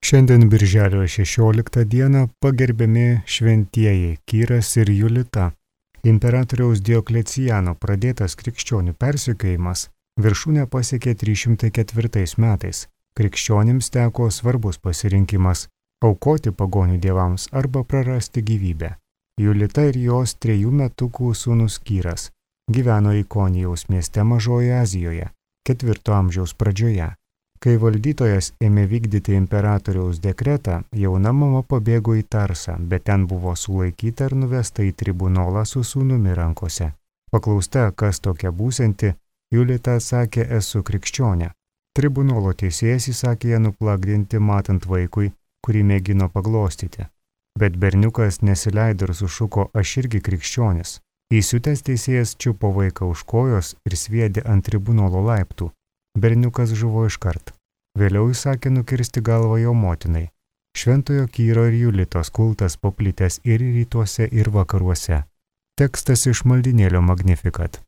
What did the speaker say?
Šiandien birželio 16 dieną pagerbiami šventieji Kyras ir Julita. Imperatoriaus Dioklecijano pradėtas krikščionių persekiojimas viršūnę pasiekė 304 metais. Krikščionims teko svarbus pasirinkimas – aukoti pagonių dievams arba prarasti gyvybę. Julita ir jos 3 metukų sūnus Kyras gyveno Ikonijaus mieste Mažojoje Azijoje, 4 amžiaus pradžioje. Kai valdytojas ėmė vykdyti imperatoriaus dekretą, jauna mama pabėgo į Tarsą, bet ten buvo sulaikyta ir nuvesta į tribunolą su sūnumi rankose. Paklausta, kas tokia būsianti, Julita atsakė, esu krikščionė. Tribunolo teisėjas įsakė ją nuplagdinti matant vaikui, kurį mėgino paglostyti. Bet berniukas nesileido ir sušuko, aš irgi krikščionis. Įsiutęs teisėjas čiupo vaiką už kojos ir sviedė ant tribunolo laiptų. Berniukas žuvo iškart. Vėliau įsakė nukirsti galvą jo motinai. Šventojo Kyro ir Julitos kultas paplitęs ir rytuose, ir vakaruose. Tekstas iš maldynėlio Magnificat.